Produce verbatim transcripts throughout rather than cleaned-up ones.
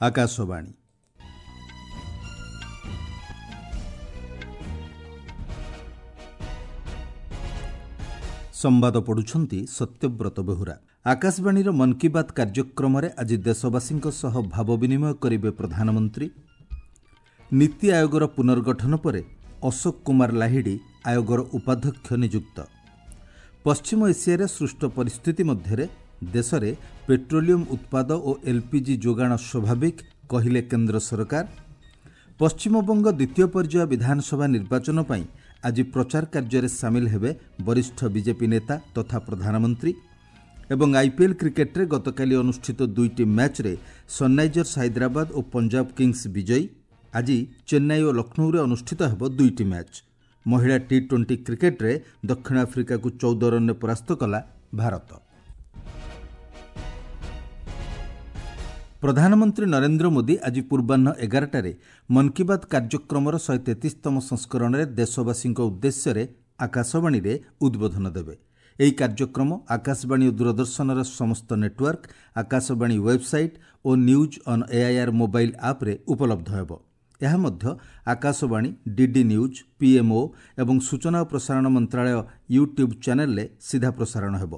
ଆକାଶବାଣୀ। ସମ୍ବାଦ ପଢ଼ୁଛନ୍ତି ସତ୍ୟବ୍ରତ ବେହୁରା। ଆକାଶବାଣୀର ମନ୍ କି ବାତ୍ କାର୍ଯ୍ୟକ୍ରମରେ ଆଜି ଦେଶବାସୀଙ୍କ ସହ ଭାବ ବିନିମୟ କରିବେ ପ୍ରଧାନମନ୍ତ୍ରୀ। ନୀତି ଆୟୋଗର ପୁନର୍ଗଠନ ପରେ ଅଶୋକ କୁମାର ଲାହିଡ଼ି ଆୟୋଗର ଉପାଧ୍ୟକ୍ଷ ନିଯୁକ୍ତ। ପଶ୍ଚିମ ଏସିଆରେ ସୃଷ୍ଟ ପରିସ୍ଥିତି ମଧ୍ୟରେ ଦେଶରେ ପେଟ୍ରୋଲିୟମ ଉତ୍ପାଦ ଓ ଏଲ୍ପିଜି ଯୋଗାଣ ସ୍ୱାଭାବିକ କହିଲେ କେନ୍ଦ୍ର ସରକାର। ପଶ୍ଚିମବଙ୍ଗ ଦ୍ୱିତୀୟ ପର୍ଯ୍ୟାୟ ବିଧାନସଭା ନିର୍ବାଚନ ପାଇଁ ଆଜି ପ୍ରଚାର କାର୍ଯ୍ୟରେ ସାମିଲ ହେବେ ବରିଷ୍ଠ ବିଜେପି ନେତା ତଥା ପ୍ରଧାନମନ୍ତ୍ରୀ। ଏବଂ ଆଇପିଏଲ୍ କ୍ରିକେଟ୍ରେ ଗତକାଲି ଅନୁଷ୍ଠିତ ଦୁଇଟି ମ୍ୟାଚ୍ରେ ସନ୍ରାଇଜର୍ସ ହାଇଦ୍ରାବାଦ ଓ ପଞ୍ଜାବ କିଙ୍ଗସ୍ ବିଜୟୀ। ଆଜି ଚେନ୍ନାଇ ଓ ଲକ୍ଷ୍ନୌରେ ଅନୁଷ୍ଠିତ ହେବ ଦୁଇଟି ମ୍ୟାଚ୍। ମହିଳା ଟି ଟ୍ୱେଣ୍ଟି କ୍ରିକେଟ୍ରେ ଦକ୍ଷିଣ ଆଫ୍ରିକାକୁ ଚଉଦ ରନ୍ରେ ପରାସ୍ତ କଲା ଭାରତ। ପ୍ରଧାନମନ୍ତ୍ରୀ ନରେନ୍ଦ୍ର ମୋଦି ଆଜି ପୂର୍ବାହ୍ନ ଏଗାରଟାରେ ମନ୍ କି ବାତ୍ କାର୍ଯ୍ୟକ୍ରମର ଶହେ ତେତିଶତମ ସଂସ୍କରଣରେ ଦେଶବାସୀଙ୍କ ଉଦ୍ଦେଶ୍ୟରେ ଆକାଶବାଣୀରେ ଉଦ୍ବୋଧନ ଦେବେ। ଏହି କାର୍ଯ୍ୟକ୍ରମ ଆକାଶବାଣୀ ଓ ଦୂରଦର୍ଶନର ସମସ୍ତ network, Akashvani website O news on AIR mobile ଆପ୍ରେ ଉପଲବ୍ଧ ହେବ। ଏହା ମଧ୍ୟ ଆକାଶବାଣୀ, ଡିଡି ନ୍ୟୁଜ୍, ପିଏମ୍ଓ ଏବଂ ସୂଚନା ଓ ପ୍ରସାରଣ ମନ୍ତ୍ରାଳୟ ୟୁଟ୍ୟୁବ୍ ଚ୍ୟାନେଲ୍ରେ ସିଧା ପ୍ରସାରଣ ହେବ।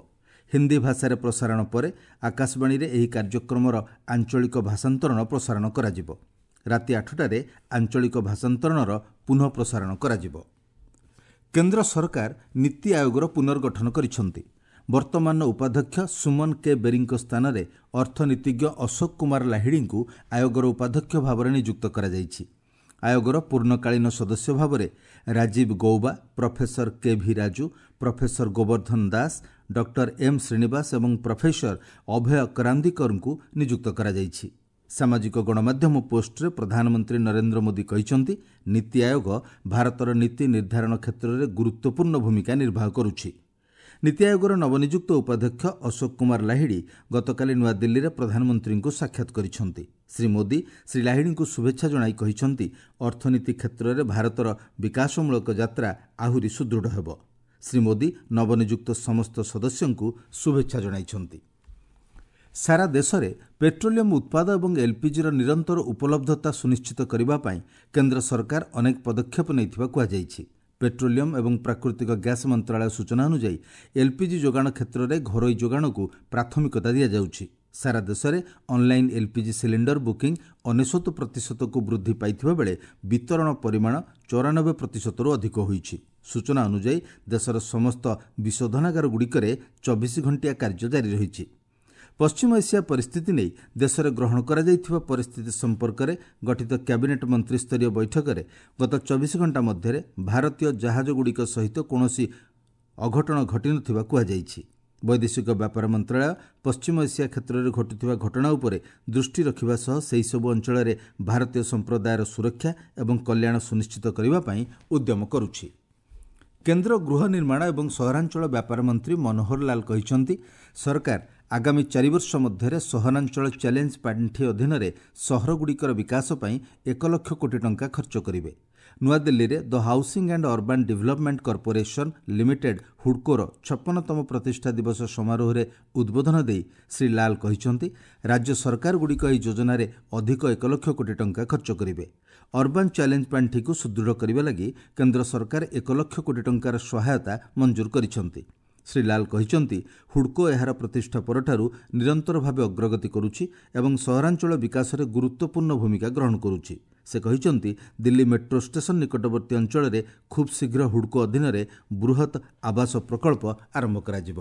ହିନ୍ଦୀ ଭାଷାରେ ପ୍ରସାରଣ ପରେ ଆକାଶବାଣୀରେ ଏହି କାର୍ଯ୍ୟକ୍ରମର ଆଞ୍ଚଳିକ ଭାଷାନ୍ତରଣ ପ୍ରସାରଣ କରାଯିବ। ରାତି ଆଠଟାରେ ଆଞ୍ଚଳିକ ଭାଷାନ୍ତରଣର ପୁନଃ ପ୍ରସାରଣ କରାଯିବ। କେନ୍ଦ୍ର ସରକାର ନୀତି ଆୟୋଗର ପୁନର୍ଗଠନ କରିଛନ୍ତି। ବର୍ତ୍ତମାନର ଉପାଧ୍ୟକ୍ଷ ସୁମନ କେ ବେରୀଙ୍କ ସ୍ଥାନରେ ଅର୍ଥନୀତିଜ୍ଞ ଅଶୋକ କୁମାର ଲାହିଡ଼ିଙ୍କୁ ଆୟୋଗର ଉପାଧ୍ୟକ୍ଷ ଭାବରେ ନିଯୁକ୍ତ କରାଯାଇଛି। ଆୟୋଗର ପୂର୍ଣ୍ଣକାଳୀନ ସଦସ୍ୟ ଭାବରେ Rajiv Gauba, professor K V Raju, professor Gobardhan Das, doctor M Srinivas ଏବଂ ପ୍ରଫେସର ଅଭୟ କରାନ୍ଦିକରଙ୍କୁ ନିଯୁକ୍ତ କରାଯାଇଛି। ସାମାଜିକ ଗଣମାଧ୍ୟମ ପୋଷ୍ଟରେ ପ୍ରଧାନମନ୍ତ୍ରୀ ନରେନ୍ଦ୍ର ମୋଦି କହିଛନ୍ତି, ନୀତି ଆୟୋଗ ଭାରତର ନୀତି ନିର୍ଦ୍ଧାରଣ କ୍ଷେତ୍ରରେ ଗୁରୁତ୍ୱପୂର୍ଣ୍ଣ ଭୂମିକା ନିର୍ବାହ କରୁଛି। ନୀତି ଆୟୋଗର ନବନିଯୁକ୍ତ ଉପାଧ୍ୟକ୍ଷ ଅଶୋକ କୁମାର ଲାହିଡ଼ି ଗତକାଲି ନୂଆଦିଲ୍ଲୀରେ ପ୍ରଧାନମନ୍ତ୍ରୀଙ୍କୁ ସାକ୍ଷାତ କରିଛନ୍ତି। ଶ୍ରୀ ମୋଦି ଶ୍ରୀ ଲାହିଡ଼ିଙ୍କୁ ଶୁଭେଚ୍ଛା ଜଣାଇ କହିଛନ୍ତି, ଅର୍ଥନୀତି କ୍ଷେତ୍ରରେ ଭାରତର ବିକାଶମୂଳକ ଯାତ୍ରା ଆହୁରି ସୁଦୃଢ଼ ହେବ। ଶ୍ରୀ ମୋଦି ନବନିଯୁକ୍ତ ସମସ୍ତ ସଦସ୍ୟଙ୍କୁ ଶୁଭେଚ୍ଛା ଜଣାଇଛନ୍ତି। ସାରା ଦେଶରେ ପେଟ୍ରୋଲିୟମ ଉତ୍ପାଦ ଏବଂ ଏଲ୍ପିଜିର ନିରନ୍ତର ଉପଲବ୍ଧତା ସୁନିଶ୍ଚିତ କରିବା ପାଇଁ କେନ୍ଦ୍ର ସରକାର ଅନେକ ପଦକ୍ଷେପ ନେଇଥିବା କୁହାଯାଇଛି। ପେଟ୍ରୋଲିୟମ ଏବଂ ପ୍ରାକୃତିକ ଗ୍ୟାସ୍ ମନ୍ତ୍ରାଳୟ ସୂଚନା ଅନୁଯାୟୀ ଏଲ୍ପିଜି ଯୋଗାଣ କ୍ଷେତ୍ରରେ ଘରୋଇ ଯୋଗାଣକୁ ପ୍ରାଥମିକତା ଦିଆଯାଉଛି। ସାରା ଦେଶରେ ଅନଲାଇନ୍ ଏଲ୍ପିଜି ସିଲିଣ୍ଡର ବୁକିଂ ଅନେଶତ ପ୍ରତିଶତକୁ ବୃଦ୍ଧି ପାଇଥିବା ବେଳେ ବିତରଣ ପରିମାଣ ଚଉରାନବେ ପ୍ରତିଶତରୁ ଅଧିକ ହୋଇଛି। ସୂଚନା ଅନୁଯାୟୀ ଦେଶର ସମସ୍ତ ବିଶୋଧନାଗାରଗୁଡ଼ିକରେ ଚବିଶ ଘଣ୍ଟିଆ କାର୍ଯ୍ୟ ଜାରି ରହିଛି। ପଶ୍ଚିମ ଏସିଆ ପରିସ୍ଥିତି ନେଇ ଦେଶରେ ଗ୍ରହଣ କରାଯାଇଥିବା ପରିସ୍ଥିତି ସମ୍ପର୍କରେ ଗଠିତ କ୍ୟାବିନେଟ୍ ମନ୍ତ୍ରିସ୍ତରୀୟ ବୈଠକରେ ଗତ ଚବିଶ ଘଣ୍ଟା ମଧ୍ୟରେ ଭାରତୀୟ ଜାହାଜଗୁଡ଼ିକ ସହିତ କୌଣସି ଅଘଟଣ ଘଟିନଥିବା କୁହାଯାଇଛି। ବୈଦେଶିକ ବ୍ୟାପାର ମନ୍ତ୍ରାଳୟ ପଶ୍ଚିମ ଏସିଆ କ୍ଷେତ୍ରରେ ଘଟୁଥିବା ଘଟଣା ଉପରେ ଦୃଷ୍ଟି ରଖିବା ସହ ସେହିସବୁ ଅଞ୍ଚଳରେ ଭାରତୀୟ ସମ୍ପ୍ରଦାୟର ସୁରକ୍ଷା ଏବଂ କଲ୍ୟାଣ ସୁନିଶ୍ଚିତ କରିବା ପାଇଁ ଉଦ୍ୟମ କରୁଛି। କେନ୍ଦ୍ର ଗୃହ ନିର୍ମାଣ ଏବଂ ସହରାଞ୍ଚଳ ବ୍ୟାପାର ମନ୍ତ୍ରୀ ମନୋହର ଲାଲ କହିଛନ୍ତି, ସରକାର ଆଗାମୀ ଚାରି ବର୍ଷ ମଧ୍ୟରେ ସହରାଞ୍ଚଳ ଚ୍ୟାଲେଞ୍ଜ ପାଣ୍ଠି ଅଧୀନରେ ସହରଗୁଡ଼ିକର ବିକାଶ ପାଇଁ ଏକ ଲକ୍ଷ କୋଟି ଟଙ୍କା ଖର୍ଚ୍ଚ କରିବେ। ନୂଆଦିଲ୍ଲୀରେ the housing and urban development corporation limited ହୁଡ୍କୋର ଛପନତମ ପ୍ରତିଷ୍ଠା ଦିବସ ସମାରୋହରେ ଉଦ୍ବୋଧନ ଦେଇ ଶ୍ରୀ ଲାଲ କହିଛନ୍ତି, ରାଜ୍ୟ ସରକାରଗୁଡ଼ିକ ଏହି ଯୋଜନାରେ ଅଧିକ ଏକ ଲକ୍ଷ କୋଟି ଟଙ୍କା ଖର୍ଚ୍ଚ କରିବେ। ଅର୍ବାନ୍ ଚ୍ୟାଲେଞ୍ଜ ପାଣ୍ଠିକୁ ସୁଦୃଢ଼ କରିବା ଲାଗି କେନ୍ଦ୍ର ସରକାର ଏକ ଲକ୍ଷ କୋଟି ଟଙ୍କାର ସହାୟତା ମଞ୍ଜୁର କରିଛନ୍ତି। ଶ୍ରୀ ଲାଲ କହିଛନ୍ତି, ହୁଡ୍କୋ ଏହାର ପ୍ରତିଷ୍ଠା ପରଠାରୁ ନିରନ୍ତର ଭାବେ ଅଗ୍ରଗତି କରୁଛି ଏବଂ ସହରାଞ୍ଚଳ ବିକାଶରେ ଗୁରୁତ୍ୱପୂର୍ଣ୍ଣ ଭୂମିକା ଗ୍ରହଣ କରୁଛି। ସେ କହିଛନ୍ତି, ଦିଲ୍ଲୀ ମେଟ୍ରୋ ଷ୍ଟେସନ ନିକଟବର୍ତ୍ତୀ ଅଞ୍ଚଳରେ ଖୁବ୍ ଶୀଘ୍ର ହୁଡ୍କୋ ଅଧୀନରେ ବୃହତ୍ ଆବାସ ପ୍ରକଳ୍ପ ଆରମ୍ଭ କରାଯିବ।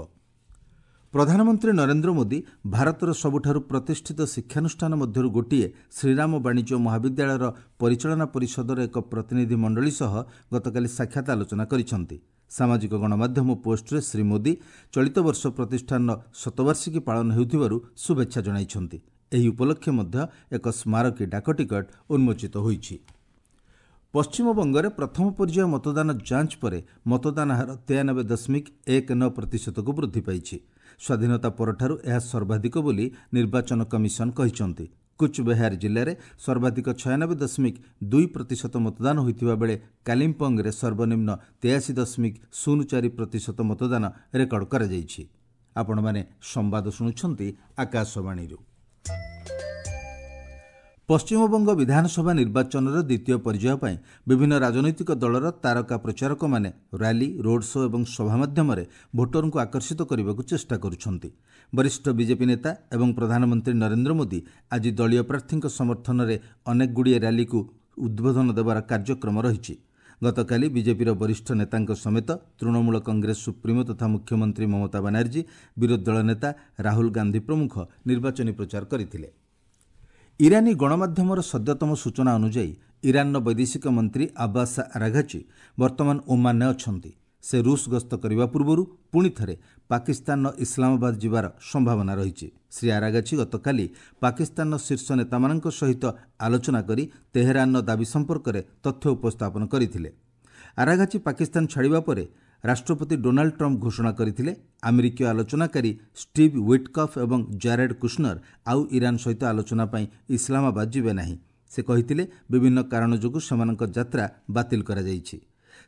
ପ୍ରଧାନମନ୍ତ୍ରୀ ନରେନ୍ଦ୍ର ମୋଦି ଭାରତର ସବୁଠାରୁ ପ୍ରତିଷ୍ଠିତ ଶିକ୍ଷାନୁଷ୍ଠାନ ମଧ୍ୟରୁ ଗୋଟିଏ ଶ୍ରୀରାମ ବାଣିଜ୍ୟ ମହାବିଦ୍ୟାଳୟର ପରିଚାଳନା ପରିଷଦର ଏକ ପ୍ରତିନିଧି ମଣ୍ଡଳୀ ସହ ଗତକାଲି ସାକ୍ଷାତ ଆଲୋଚନା କରିଛନ୍ତି। ସାମାଜିକ ଗଣମାଧ୍ୟମ ପୋଷ୍ଟରେ ଶ୍ରୀ ମୋଦି ଚଳିତ ବର୍ଷ ପ୍ରତିଷ୍ଠାନର ଶତବାର୍ଷିକୀ ପାଳନ ହେଉଥିବାରୁ ଶୁଭେଚ୍ଛା ଜଣାଇଛନ୍ତି। ଏହି ଉପଲକ୍ଷେ ମଧ୍ୟ ଏକ ସ୍ମାରକୀ ଡାକଟିକଟ ଉନ୍ମୋଚିତ ହୋଇଛି। ପଶ୍ଚିମବଙ୍ଗରେ ପ୍ରଥମ ପର୍ଯ୍ୟାୟ ମତଦାନ ଯାଞ୍ଚ ପରେ ମତଦାନ ହାର ତେୟାନବେ ଦଶମିକ ଏକ ନଅ ପ୍ରତିଶତକୁ ବୃଦ୍ଧି ପାଇଛି। ସ୍ୱାଧୀନତା ପରଠାରୁ ଏହା ସର୍ବାଧିକ ବୋଲି ନିର୍ବାଚନ କମିଶନ କହିଛନ୍ତି। କୁଚବେହାର ଜିଲ୍ଲାରେ ସର୍ବାଧିକ ଛୟାନବେ ଦଶମିକ ଦୁଇ ପ୍ରତିଶତ ମତଦାନ ହୋଇଥିବା ବେଳେ କାଲିମ୍ପଙ୍ଗରେ ସର୍ବନିମ୍ନ ତେୟାଅଶୀ ଦଶମିକ ଶୂନ ଚାରି ପ୍ରତିଶତ ମତଦାନ ରେକର୍ଡ କରାଯାଇଛି। ଆପଣମାନେ ସମ୍ବାଦ ଶୁଣୁଛନ୍ତି ଆକାଶବାଣୀରୁ। ପଶ୍ଚିମବଙ୍ଗ ବିଧାନସଭା ନିର୍ବାଚନର ଦ୍ୱିତୀୟ ପର୍ଯ୍ୟାୟ ପାଇଁ ବିଭିନ୍ନ ରାଜନୈତିକ ଦଳର ତାରକା ପ୍ରଚାରକମାନେ ର୍ୟାଲି, ରୋଡ୍ ଶୋ ଏବଂ ସଭା ମାଧ୍ୟମରେ ଭୋଟରଙ୍କୁ ଆକର୍ଷିତ କରିବାକୁ ଚେଷ୍ଟା କରୁଛନ୍ତି। ବରିଷ୍ଠ ବିଜେପି ନେତା ଏବଂ ପ୍ରଧାନମନ୍ତ୍ରୀ ନରେନ୍ଦ୍ର ମୋଦି ଆଜି ଦଳୀୟ ପ୍ରାର୍ଥୀଙ୍କ ସମର୍ଥନରେ ଅନେକଗୁଡ଼ିଏ ର୍ୟାଲିକୁ ଉଦ୍ବୋଧନ ଦେବାର କାର୍ଯ୍ୟକ୍ରମ ରହିଛି। ଗତକାଲି ବିଜେପିର ବରିଷ୍ଠ ନେତାଙ୍କ ସମେତ ତୃଣମୂଳ କଂଗ୍ରେସ ସୁପ୍ରିମୋ ତଥା ମୁଖ୍ୟମନ୍ତ୍ରୀ ମମତା ବାନାର୍ଜୀ, ବିରୋଧୀ ଦଳ ନେତା ରାହୁଲ ଗାନ୍ଧୀ ପ୍ରମୁଖ ନିର୍ବାଚନୀ ପ୍ରଚାର କରିଥିଲେ। ଇରାନୀ ଗଣମାଧ୍ୟମର ସଦ୍ୟତମ ସୂଚନା ଅନୁଯାୟୀ ଇରାନର ବୈଦେଶିକ ମନ୍ତ୍ରୀ ଆବାସ ଆରାଘାଚି ବର୍ତ୍ତମାନ ଓମାନରେ ଅଛନ୍ତି। ସେ ରୁଷ ଗସ୍ତ କରିବା ପୂର୍ବରୁ ପୁଣି ଥରେ ପାକିସ୍ତାନର ଇସଲାମାବାଦ ଯିବାର ସମ୍ଭାବନା ରହିଛି। ଶ୍ରୀ ଆରାଗାଛି ଗତକାଲି ପାକିସ୍ତାନର ଶୀର୍ଷ ନେତାମାନଙ୍କ ସହିତ ଆଲୋଚନା କରି ତେହେରାନର ଦାବି ସମ୍ପର୍କରେ ତଥ୍ୟ ଉପସ୍ଥାପନ କରିଥିଲେ। ଆରାଘାଚି ପାକିସ୍ତାନ ଛାଡ଼ିବା ପରେ ରାଷ୍ଟ୍ରପତି ଡୋନାଲ୍ଡ ଟ୍ରମ୍ପ ଘୋଷଣା କରିଥିଲେ, ଆମେରିକୀୟ ଆଲୋଚନାକାରୀ ଷ୍ଟିଭ୍ ୱିଟକଫ୍ ଏବଂ ଜାରେଡ୍ କୁଶନର ଆଉ ଇରାନ ସହିତ ଆଲୋଚନା ପାଇଁ ଇସଲାମାବାଦ ଯିବେ ନାହିଁ। ସେ କହିଥିଲେ, ବିଭିନ୍ନ କାରଣ ଯୋଗୁଁ ସେମାନଙ୍କ ଯାତ୍ରା ବାତିଲ କରାଯାଇଛି।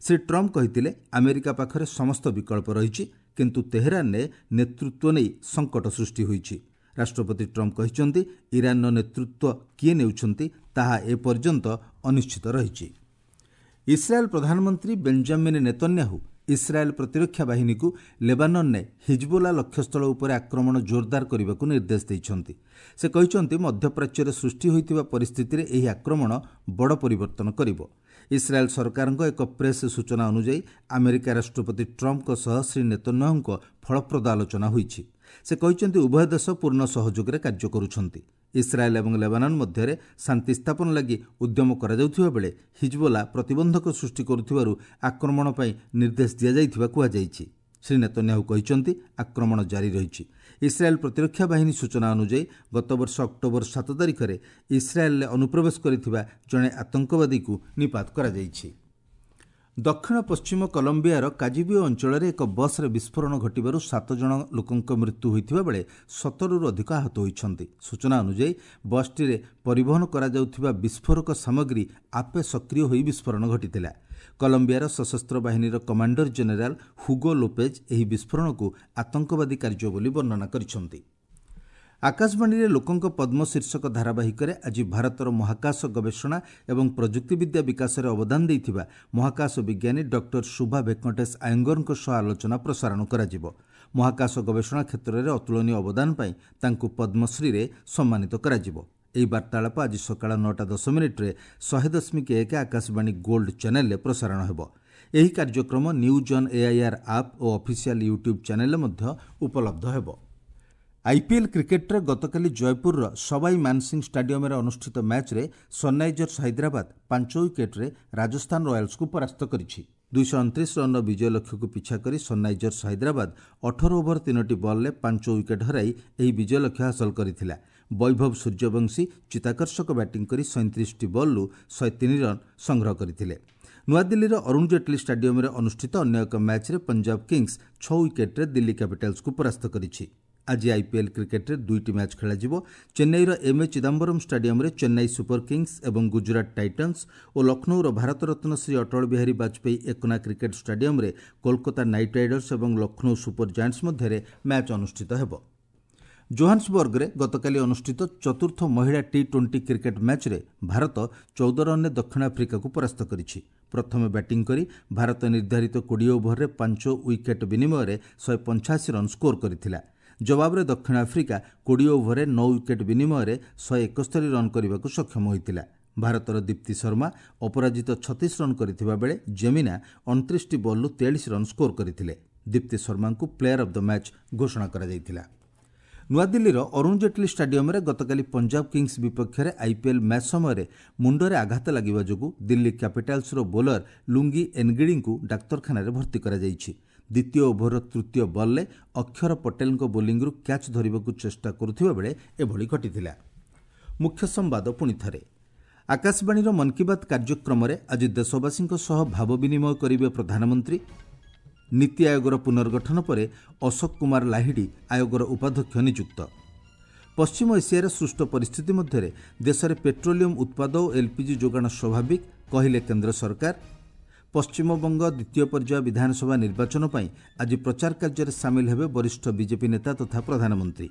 ଶ୍ରୀ ଟ୍ରମ୍ପ କହିଥିଲେ, ଆମେରିକା ପାଖରେ ସମସ୍ତ ବିକଳ୍ପ ରହିଛି, କିନ୍ତୁ ତେହେରାନରେ ନେତୃତ୍ୱ ନେଇ ସଙ୍କଟ ସୃଷ୍ଟି ହୋଇଛି। ରାଷ୍ଟ୍ରପତି ଟ୍ରମ୍ପ କହିଛନ୍ତି, ଇରାନର ନେତୃତ୍ୱ କିଏ ନେଉଛନ୍ତି ତାହା ଏପର୍ଯ୍ୟନ୍ତ ଅନିଶ୍ଚିତ ରହିଛି। ଇସ୍ରାଏଲ୍ ପ୍ରଧାନମନ୍ତ୍ରୀ ବେଞ୍ଜାମିନ୍ ନେତନ୍ୟାହୁ ଇସ୍ରାଏଲ୍ ପ୍ରତିରକ୍ଷା ବାହିନୀକୁ ଲେବାନନରେ ହିଜବୋଲା ଲକ୍ଷ୍ୟସ୍ଥଳ ଉପରେ ଆକ୍ରମଣ ଜୋରଦାର କରିବାକୁ ନିର୍ଦ୍ଦେଶ ଦେଇଛନ୍ତି। ସେ କହିଛନ୍ତି, ମଧ୍ୟପ୍ରାଚ୍ୟରେ ସୃଷ୍ଟି ହୋଇଥିବା ପରିସ୍ଥିତିରେ ଏହି ଆକ୍ରମଣ ବଡ଼ ପରିବର୍ତ୍ତନ କରିବ। ଇସ୍ରାଏଲ୍ ସରକାରଙ୍କ ଏକ ପ୍ରେସ୍ ସୂଚନା ଅନୁଯାୟୀ ଆମେରିକା ରାଷ୍ଟ୍ରପତି ଟ୍ରମ୍ପଙ୍କ ସହ ଶ୍ରୀ ନେତନ୍ୟାହୁଙ୍କ ଫଳପ୍ରଦ ଆଲୋଚନା ହୋଇଛି। ସେ କହିଛନ୍ତି, ଉଭୟ ଦେଶ ପୂର୍ଣ୍ଣ ସହଯୋଗରେ କାର୍ଯ୍ୟ କରୁଛନ୍ତି। ଇସ୍ରାଏଲ୍ ଏବଂ ଲେବାନନ ମଧ୍ୟରେ ଶାନ୍ତି ସ୍ଥାପନ ଲାଗି ଉଦ୍ୟମ କରାଯାଉଥିବା ବେଳେ ହିଜବୋଲା ପ୍ରତିବନ୍ଧକ ସୃଷ୍ଟି କରୁଥିବାରୁ ଆକ୍ରମଣ ପାଇଁ ନିର୍ଦ୍ଦେଶ ଦିଆଯାଇଥିବା କୁହାଯାଇଛି। ଶ୍ରୀ ନେତନ୍ୟାହୁ କହିଛନ୍ତି, ଆକ୍ରମଣ ଜାରି ରହିଛି। ଇସ୍ରାଏଲ୍ ପ୍ରତିରକ୍ଷା ବାହିନୀ ସୂଚନା ଅନୁଯାୟୀ ଗତବର୍ଷ ଅକ୍ଟୋବର ସାତ ତାରିଖରେ ଇସ୍ରାଏଲ୍ରେ ଅନୁପ୍ରବେଶ କରିଥିବା ଜଣେ ଆତଙ୍କବାଦୀକୁ ନିପାତ କରାଯାଇଛି। ଦକ୍ଷିଣ ପଶ୍ଚିମ କଲମ୍ବିଆର କାଜିବିଓ ଅଞ୍ଚଳରେ ଏକ ବସ୍ରେ ବିସ୍ଫୋରଣ ଘଟିବାରୁ ସାତ ଜଣ ଲୋକଙ୍କ ମୃତ୍ୟୁ ହୋଇଥିବା ବେଳେ ସତରରୁ ଅଧିକ ଆହତ ହୋଇଛନ୍ତି। ସୂଚନା ଅନୁଯାୟୀ ବସ୍ଟିରେ ପରିବହନ କରାଯାଉଥିବା ବିସ୍ଫୋରକ ସାମଗ୍ରୀ ଆପେ ସକ୍ରିୟ ହୋଇ ବିସ୍ଫୋରଣ ଘଟିଥିଲା। କଲମ୍ବିଆର ସଶସ୍ତ୍ର ବାହିନୀର କମାଣ୍ଡର ଜେନେରାଲ ହୁଗୋ ଲୋପେଜ୍ ଏହି ବିସ୍ଫୋରଣକୁ ଆତଙ୍କବାଦୀ କାର୍ଯ୍ୟ ବୋଲି ବର୍ଣ୍ଣନା କରିଛନ୍ତି। ଆକାଶବାଣୀରେ ଲୋକଙ୍କ ପଦ୍ମ ଶୀର୍ଷକ ଧାରାବାହିକରେ ଆଜି ଭାରତର ମହାକାଶ ଗବେଷଣା ଏବଂ ପ୍ରଯୁକ୍ତିବିଦ୍ୟା ବିକାଶରେ ଅବଦାନ ଦେଇଥିବା ମହାକାଶ ବିଜ୍ଞାନୀ ଡକ୍ଟର ଶୁଭା ଭେଙ୍କଟେଶ ଆୟଙ୍ଗରଙ୍କ ସହ ଆଲୋଚନା ପ୍ରସାରଣ କରାଯିବ। ମହାକାଶ ଗବେଷଣା କ୍ଷେତ୍ରରେ ଅତୁଳନୀୟ ଅବଦାନ ପାଇଁ ତାଙ୍କୁ ପଦ୍ମଶ୍ରୀରେ ସମ୍ମାନିତ କରାଯିବ। ଏହି ବାର୍ତ୍ତାଳାପ ଆଜି ସକାଳ ନଅଟା ଦଶ ମିନିଟ୍ରେ ଶହେ ଦଶମିକ ଏକ ଆକାଶବାଣୀ ଗୋଲ୍ଡ ଚ୍ୟାନେଲରେ ପ୍ରସାରଣ ହେବ। ଏହି କାର୍ଯ୍ୟକ୍ରମ ନ୍ୟୁଜ୍ ଅନ୍ ଏଆଇଆର୍ ଆପ୍ ଓ ଅଫିସିଆଲ୍ ୟୁଟ୍ୟୁବ୍ ଚ୍ୟାନେଲରେ ମଧ୍ୟ ଉପଲବ୍ଧ ହେବ। ଆଇପିଏଲ୍ କ୍ରିକେଟ୍ରେ ଗତକାଲି ଜୟପୁରର ସବାଇ ମାନସିଂ ଷ୍ଟାଡିୟମରେ ଅନୁଷ୍ଠିତ ମ୍ୟାଚ୍ରେ ସନ୍ରାଇଜର୍ସ ହାଇଦ୍ରାବାଦ ପାଞ୍ଚ ୱିକେଟ୍ରେ ରାଜସ୍ଥାନ ରୟାଲ୍ସକୁ ପରାସ୍ତ କରିଛି। ଦୁଇଶହ ଅଣତିରିଶ ରନ୍ର ବିଜୟ ଲକ୍ଷ୍ୟକୁ ପିଛା କରି ସନ୍ରାଇଜର୍ସ ହାଇଦ୍ରାବାଦ ଅଠର ଓଭର ତିନୋଟି ବଲ୍ରେ ପାଞ୍ଚ ୱିକେଟ୍ ହରାଇ ଏହି ବିଜୟ ଲକ୍ଷ୍ୟ ହାସଲ କରିଥିଲା। ବୈଭବ ସୂର୍ଯ୍ୟବଂଶୀ ଚିତାକର୍ଷକ ବ୍ୟାଟିଂ କରି ସଇଁତିରିଶଟି ବଲ୍ରୁ ଶହେ ତିନି ରନ୍ ସଂଗ୍ରହ କରିଥିଲେ। ନୂଆଦିଲ୍ଲୀର ଅରୁଣ ଜେଟ୍ଲୀ ଷ୍ଟାଡିୟମରେ ଅନୁଷ୍ଠିତ ଅନ୍ୟ ଏକ ମ୍ୟାଚ୍ରେ ପଞ୍ଜାବ କିଙ୍ଗସ୍ ଛଅ ୱିକେଟ୍ରେ ଦିଲ୍ଲୀ କ୍ୟାପିଟାଲ୍ସକୁ ପରାସ୍ତ କରିଛି। ଆଜି ଆଇପିଏଲ୍ କ୍ରିକେଟ୍ରେ ଦୁଇଟି ମ୍ୟାଚ୍ ଖେଳାଯିବ। ଚେନ୍ନାଇର ଏମ୍ ଏ ଚିଦାମ୍ବରମ୍ ଷ୍ଟାଡିୟମରେ ଚେନ୍ନାଇ ସୁପର କିଙ୍ଗସ୍ ଏବଂ ଗୁଜରାଟ ଟାଇଟନ୍ସ ଓ ଲକ୍ଷ୍ନୌର ଭାରତରତ୍ନ ଶ୍ରୀ ଅଟଳ ବିହାରୀ ବାଜପେୟୀ ଏକନା କ୍ରିକେଟ୍ ଷ୍ଟାଡିୟମରେ କୋଲକାତା ନାଇଟ୍ ରାଇଡର୍ସ ଏବଂ ଲକ୍ଷ୍ନୌ ସୁପର ଜାଏଣ୍ଟସ୍ ମଧ୍ୟରେ ମ୍ୟାଚ୍ ଅନୁଷ୍ଠିତ ହେବ। ଜୋହାନ୍ସବର୍ଗରେ ଗତକାଲି ଅନୁଷ୍ଠିତ ଚତୁର୍ଥ ମହିଳା ଟି ଟ୍ୱେଣ୍ଟି କ୍ରିକେଟ୍ ମ୍ୟାଚ୍ରେ ଭାରତ ଚଉଦ ରନ୍ରେ ଦକ୍ଷିଣ ଆଫ୍ରିକାକୁ ପରାସ୍ତ କରିଛି। ପ୍ରଥମେ ବ୍ୟାଟିଂ କରି ଭାରତ ନିର୍ଦ୍ଧାରିତ କୋଡ଼ିଏ ଓଭରରେ ପାଞ୍ଚ ୱିକେଟ୍ ବିନିମୟରେ ଶହେ ପଞ୍ଚାଅଶୀ ରନ୍ ସ୍କୋର କରିଥିଲା। ଜବାବରେ ଦକ୍ଷିଣ ଆଫ୍ରିକା କୋଡ଼ିଏ ଓଭରରେ ନଅ ୱିକେଟ୍ ବିନିମୟରେ ଶହେ ଏକସ୍ତରୀ ରନ୍ କରିବାକୁ ସକ୍ଷମ ହୋଇଥିଲା। ଭାରତର ଦୀପ୍ତି ଶର୍ମା ଅପରାଜିତ ଛତିଶ ରନ୍ କରିଥିବା ବେଳେ ଜେମିନା ଅଣତିରିଶଟି ବଲ୍ରୁ ତେୟାଳିଶ ରନ୍ ସ୍କୋର କରିଥିଲେ। ଦୀପ୍ତି ଶର୍ମାଙ୍କୁ ପ୍ଲେୟାର ଅଫ୍ the match ଘୋଷଣା କରାଯାଇଥିଲା। ନୂଆଦିଲ୍ଲୀର ଅରୁଣ ଜେଟ୍ଲୀ ଷ୍ଟାଡିୟମରେ ଗତକାଲି ପଞ୍ଜାବ କିଙ୍ଗସ୍ ବିପକ୍ଷରେ ଆଇପିଏଲ୍ ମ୍ୟାଚ୍ ସମୟରେ ମୁଣ୍ଡରେ ଆଘାତ ଲାଗିବା ଯୋଗୁଁ ଦିଲ୍ଲୀ କ୍ୟାପିଟାଲ୍ସର ବୋଲର ଲୁଙ୍ଗି ଏନ୍ଗିଡ଼ିଙ୍କୁ ଡାକ୍ତରଖାନାରେ ଭର୍ତ୍ତି କରାଯାଇଛି। ଦ୍ୱିତୀୟ ଓଭରର ତୃତୀୟ ବଲ୍ରେ ଅକ୍ଷର ପଟେଲଙ୍କ ବୋଲିଂରୁ କ୍ୟାଚ୍ ଧରିବାକୁ ଚେଷ୍ଟା କରୁଥିବା ବେଳେ ଏଭଳି ଘଟିଥିଲା। ମୁଖ୍ୟ ସମ୍ବାଦ ପୁଣି ଥରେ। ଆକାଶବାଣୀର ମନ୍ କି ବାତ୍ କାର୍ଯ୍ୟକ୍ରମରେ ଆଜି ଦେଶବାସୀଙ୍କ ସହ ଭାବ ବିନିମୟ କରିବେ ପ୍ରଧାନମନ୍ତ୍ରୀ। ନୀତି ଆୟୋଗର ପୁନର୍ଗଠନ ପରେ ଅଶୋକ କୁମାର ଲାହିଡ଼ି ଆୟୋଗର ଉପାଧ୍ୟକ୍ଷ ନିଯୁକ୍ତ। ପଶ୍ଚିମ ଏସିଆରେ ସୃଷ୍ଟ ପରିସ୍ଥିତି ମଧ୍ୟରେ ଦେଶରେ ପେଟ୍ରୋଲିୟମ ଉତ୍ପାଦ ଓ ଏଲ୍ପିଜି ଯୋଗାଣ ସ୍ୱାଭାବିକ କହିଲେ କେନ୍ଦ୍ର ସରକାର। ପଶ୍ଚିମବଙ୍ଗ ଦ୍ୱିତୀୟ ପର୍ଯ୍ୟାୟ ବିଧାନସଭା ନିର୍ବାଚନ ପାଇଁ ଆଜି ପ୍ରଚାର କାର୍ଯ୍ୟରେ ସାମିଲ ହେବେ ବରିଷ୍ଠ ବିଜେପି ନେତା ତଥା ପ୍ରଧାନମନ୍ତ୍ରୀ।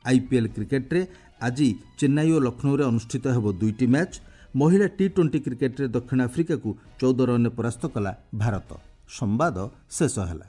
ଆଇପିଏଲ୍ କ୍ରିକେଟ୍ରେ ଆଜି ଚେନ୍ନାଇ ଓ ଲକ୍ଷ୍ନୌରେ ଅନୁଷ୍ଠିତ ହେବ ଦୁଇଟି ମ୍ୟାଚ୍। ମହିଳା ଟି ଟ୍ୱେଣ୍ଟି କ୍ରିକେଟ୍ରେ ଦକ୍ଷିଣ ଆଫ୍ରିକାକୁ ଚଉଦ ରନ୍ରେ ପରାସ୍ତ କଲା ଭାରତ। ସମ୍ବାଦ ଶେଷ ହେଲା।